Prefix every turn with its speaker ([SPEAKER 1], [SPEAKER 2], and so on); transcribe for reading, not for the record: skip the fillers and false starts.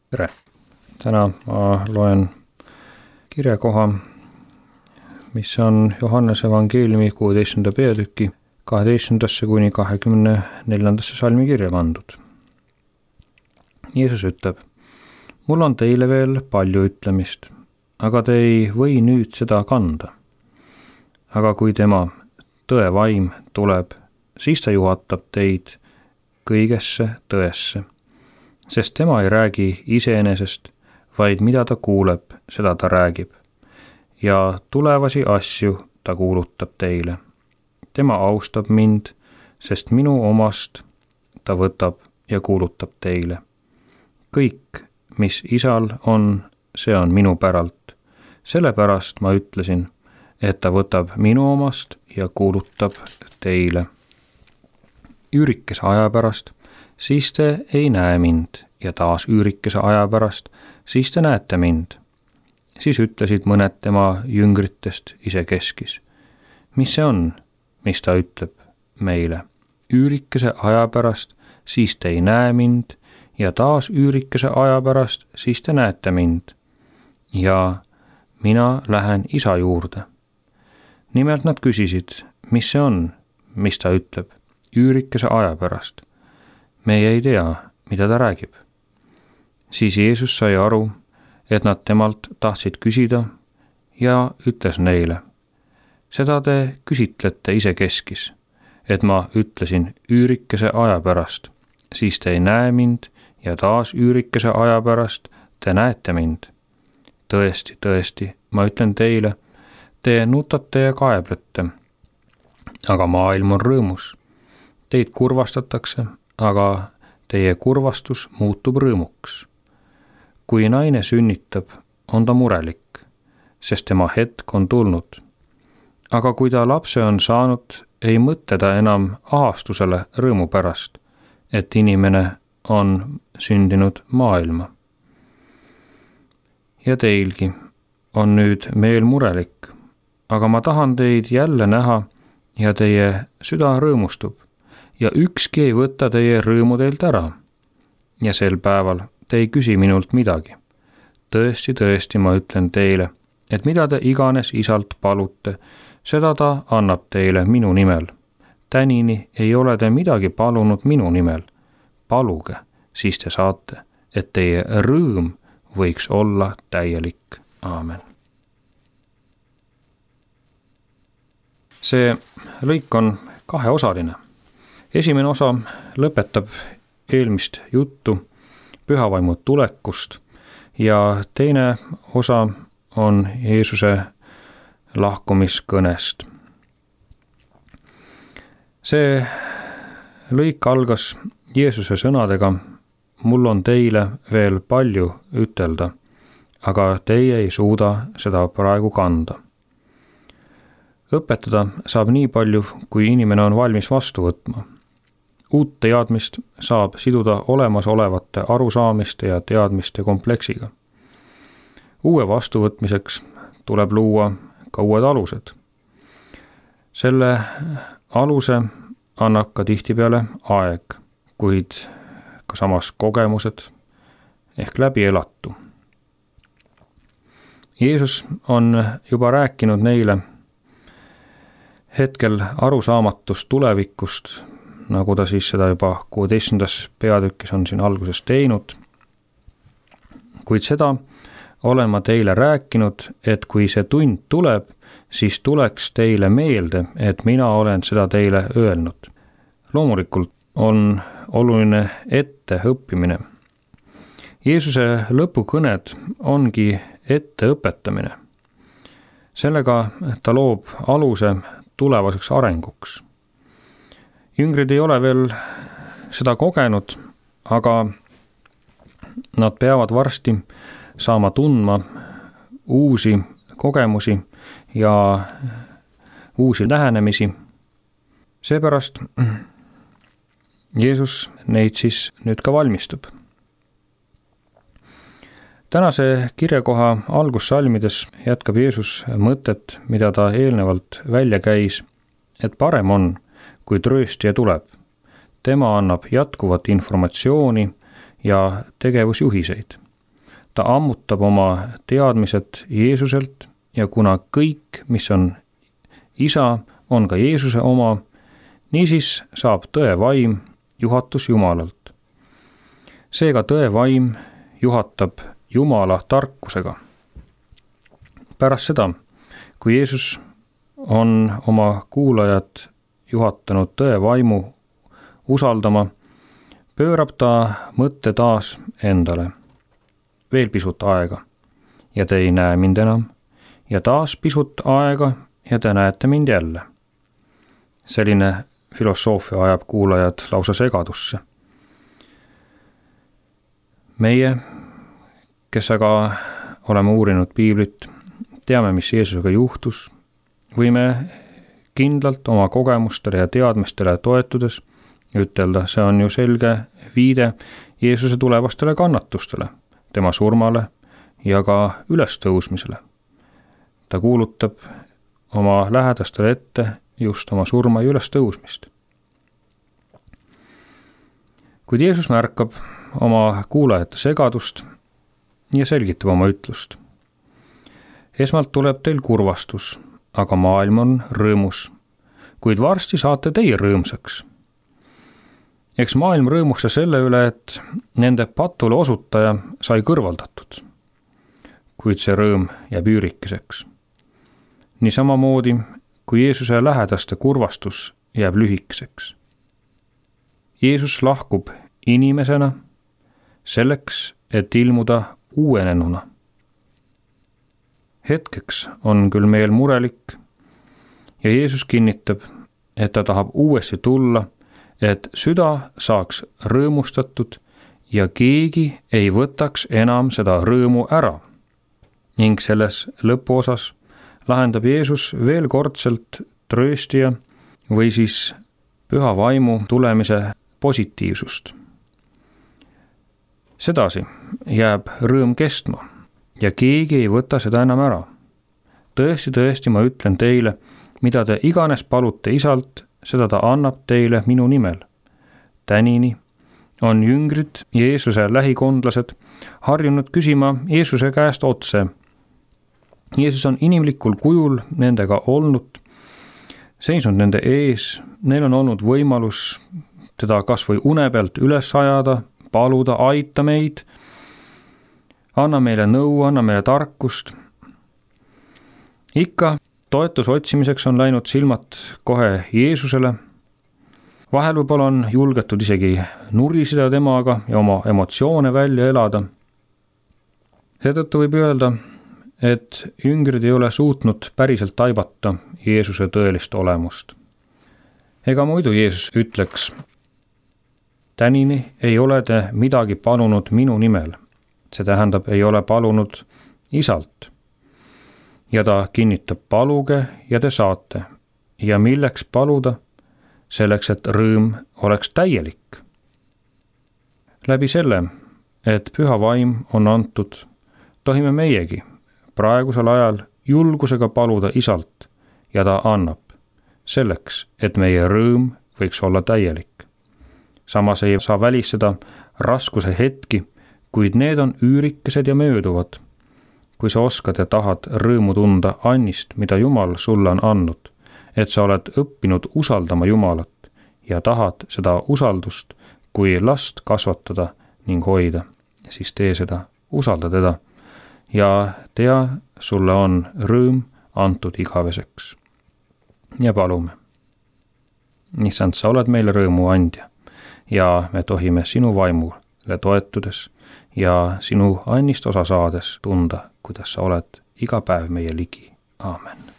[SPEAKER 1] Tere! Täna ma loen kirjakoha, mis on Johannese evangeeliumi 16. peatüki 12. kuni 24. salmi kirja pandud. Jeesus ütleb: mul on teile veel palju ütlemist, aga te ei või nüüd seda kanda. Aga kui tema, tõe vaim, tuleb, siis ta juhatab teid kõigesse tõesse. Sest tema ei räägi iseenesest, vaid mida ta kuuleb, seda ta räägib. Ja tulevasi asju ta kuulutab teile. Tema austab mind, sest minu omast ta võtab ja kuulutab teile. Kõik, mis isal on, see on minu päralt. Sellepärast ma ütlesin, et ta võtab minu omast ja kuulutab teile. Üürikese aja pärast siis te ei näe mind ja taas üürikese aja pärast, siis te näete mind. Siis ütlesid mõned tema jüngritest isekeskis. Mis see on, mis ta ütleb meile? Üürikese aja pärast, siis te ei näe mind ja taas üürikese aja pärast, siis te näete mind. Ja mina lähen isa juurde. Nimelt nad küsisid, mis see on, mis ta ütleb? Üürikese aja pärast. Meie ei tea, mida ta räägib. Siis Jeesus sai aru, et nad temalt tahtsid küsida ja ütles neile: seda te küsitlete isekeskis, et ma ütlesin üürikese aja pärast, siis te ei näe mind ja taas üürikese aja pärast te näete mind. Tõesti, tõesti, ma ütlen teile, te nutate ja kaeblete, aga maailm on rõõmus. Teid kurvastatakse, aga teie kurvastus muutub rõõmuks. Kui naine sünnitab, on ta murelik, sest tema hetk on tulnud. Aga kui ta lapse on saanud, ei mõtle ta enam ahastusele rõõmu pärast, et inimene on sündinud maailma. Ja teilgi on nüüd meel murelik, aga ma tahan teid jälle näha ja teie süda rõõmustub. Ja ükski ei võta teie rõõmu teilt ära. Ja sel päeval te ei küsi minult midagi. Tõesti, tõesti, ma ütlen teile, et mida te iganes isalt palute, seda ta annab teile minu nimel. Tänini ei ole te midagi palunud minu nimel. Paluge, siis te saate, et teie rõõm võiks olla täielik. Aamen. See lõik on kaheosaline. Esimene osa lõpetab eelmist juttu pühavaimu tulekust ja teine osa on Jeesuse lahkumiskõnest. See lõik algas Jeesuse sõnadega: mul on teile veel palju ütelda, aga teie ei suuda seda praegu kanda. Õpetada saab nii palju, kui inimene on valmis vastu võtma. Uut teadmist saab siduda olemasolevate arusaamiste ja teadmiste kompleksiga. Uue vastuvõtmiseks tuleb luua ka uued alused. Selle aluse annab ka tihtipeale aeg, kuid ka samas kogemused ehk läbi elatu. Jeesus on juba rääkinud neile hetkel arusaamatust tulevikust, nagu ta siis seda juba 16. peatükis on siin alguses teinud. Kuid seda olen ma teile rääkinud, et kui see tund tuleb, siis tuleks teile meelde, et mina olen seda teile öelnud. Loomulikult on oluline etteõppimine. Jeesuse lõpukõned ongi etteõpetamine. Sellega ta loob aluse tulevaseks arenguks. Jüngrid ei ole veel seda kogenud, aga nad peavad varsti saama tundma uusi kogemusi ja uusi lähenemisi. Seepärast Jeesus neid siis nüüd ka valmistab. Tänase kirjakoha algussalmides jätkab Jeesus mõtet, mida ta eelnevalt välja käis, et parem on, kui trööstija tuleb. Tema annab jätkuvat informatsiooni ja tegevusjuhiseid. ta ammutab oma teadmised Jeesuselt ja kuna kõik, mis on Isa, on ka Jeesuse oma, niisiis saab tõe vaim juhatus Jumalalt. Seega tõe vaim juhatab Jumala tarkusega. Pärast seda, kui Jeesus on oma kuulajad juhatanud tõe vaimu usaldama, pöörab ta mõtte taas endale. Veel pisut aega ja te ei näe mind enam ja taas pisut aega ja te näete mind jälle. Selline filosoofia ajab kuulajad lausa segadusse. Meie, kes aga oleme uurinud piiblit, teame, mis Jeesusega juhtus, võime kindlalt oma kogemustele ja teadmistele toetudes ütelda, see on ju selge viide Jeesuse tulevastele kannatustele, tema surmale ja ka ülestõusmisele. Ta kuulutab oma lähedastele ette just oma surma ja ülestõusmist. Kuid Jeesus märkab oma kuulajate segadust ja selgitab oma ütlust. Esmalt tuleb teil kurvastus, aga maailm on rõõmus, kuid varsti saate teie rõõmsaks. Eks maailm rõõmustas selle üle, et nende patule osutaja sai kõrvaldatud, kuid see rõõm jääb üürikeseks. Nii samamoodi, kui Jeesuse lähedaste kurvastus jääb lühikeseks. Jeesus lahkub inimesena selleks, et ilmuda uuenenuna. Hetkeks on küll meel murelik ja Jeesus kinnitab, et ta tahab uuesti tulla, et süda saaks rõõmustatud ja keegi ei võtaks enam seda rõõmu ära. Ning selles lõpuosas lahendab Jeesus veel kordselt trööstija või siis püha vaimu tulemise positiivsust. Sedasi jääb rõõm kestma ja keegi ei võta seda enam ära. Tõesti, ma ütlen teile, mida te iganes palute Isalt, seda ta annab teile minu nimel. Tänini on jüngrid ja Jeesuse lähikondlased harjunud küsima Jeesuse käest otse. Jeesus on inimlikul kujul nendega olnud, seisnud nende ees, neil on olnud võimalus teda kas või une pealt üles ajada, paluda, aita meid, anna meile nõu, anna meile tarkust. Ikka toetuse otsimiseks on läinud silmad kohe Jeesusele. Vahel võib-olla on julgetud isegi nuriseda temaga ja oma emotsioone välja elada. Seetõttu võib öelda, et jüngrid ei ole suutnud päriselt taibata Jeesuse tõelist olemust. Ega muidu Jeesus ütleks, tänini ei ole te midagi palunud minu nimel. See tähendab, ei ole palunud Isalt. Ja ta kinnitab, paluge ja te saate. Ja milleks paluda? Selleks, et rõõm oleks täielik. Läbi selle, et püha vaim on antud, tohime meiegi praegusel ajal julgusega paluda Isalt ja ta annab, selleks, et meie rõõm võiks olla täielik. Samas ei saa välistada raskuse hetki, kuid need on üürikesed ja mööduvad. Kui sa oskad ja tahad rõõmu tunda annist, mida Jumal sulle on andnud, et sa oled õppinud usaldama Jumalat ja tahad seda usaldust kui last kasvatada ning hoida, siis tee seda, usalda teda ja tea, sulle on rõõm antud igaveseks. Ja palume. Issand, sa oled meile rõõmu andja ja me tohime sinu vaimule toetudes ja sinu annist osa saades tunda, kuidas sa oled iga päev meie ligi. Aamen.